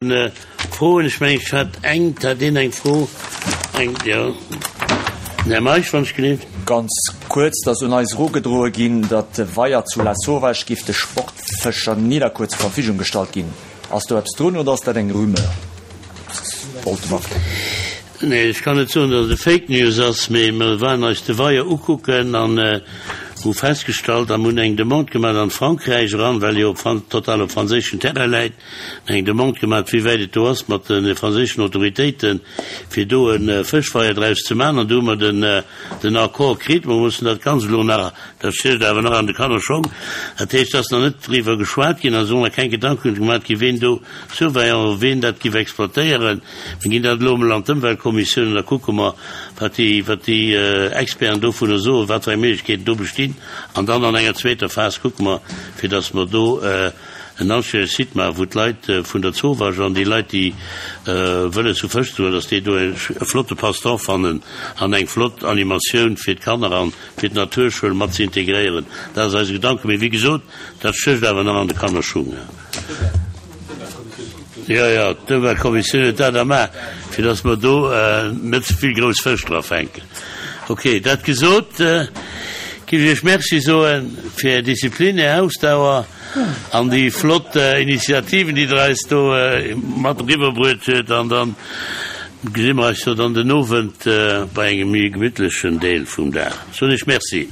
Froen? Ech mengen, ech hat eng, hat een eng Fro? Eng, jo. Den Här Meisch, wann ech gelift. Ganz kuerz, Et ass un eis erugedroe ginn, datt de Weier zu Lasauvage giff de Sportfëscher Nidderkuer zur Verfügung gestallt ginn. Ass do eppes drun oder ass dat eng Rumeur? Wollte mer. Nee, ech kann net soen, datt et e Fake News ass, mee mer waren eis de Weier ukucken an hu festgestallt a mer hunn eng Demande gemaach an Frankräich eran, well jo total op franséischen Terrain läit, eng Demande gemaach, wéi wäit et do ass mat de franséischen Autoritéiten, fir do e Fëschweier draus ze maachen. An do hu mer den Accord kritt. Mer mussen dat Ganzt elo nach, dat stécht awer nach an de Kannerschong, dat heescht, et ass nach net driwwer geschwat ginn a sinn nach keng Gedanken gemaach ginn, ween do Surveillant, ween dat giff exploitéieren. Mir ginn dat elo emol an d'Ëmweltkommissioun an da kucke mer, wat déi, wat déi Experten dovunner soen, wat fir eng Méiglechkeeten do bestinn. An dann an enger zweeter Phas kucke mer, fir datt mer do en anstännege Site maachen, wou d'Leit vun der Zowaasch an déi Leit, déi wëlles hu Fësch ze huelen, datt déi do e flotte Passe-temps fannen an eng flott Animatioun fir d'Kanner an fir d'Naturschoul mat ze integréieren. Dat ass eise Gedanken. Mee wéi gesot, dat stécht awer nach an de Kannerschung. Jo, jo, d'Ëmweltkommissioun huet dat am A, fir datt mer do net ze vill grouss Fësch dra fänken. Okay, dat gesot, géif ech Iech Merci soe fir Är Disziplin, Är Ausdauer an déi flott Initiativen, déi Der eis do mat eriwwerbruet huet. An da gesi mer eis jo dann den Owend bei engem méi gemittlechen Deel vum Dag. Soen Iech Merci.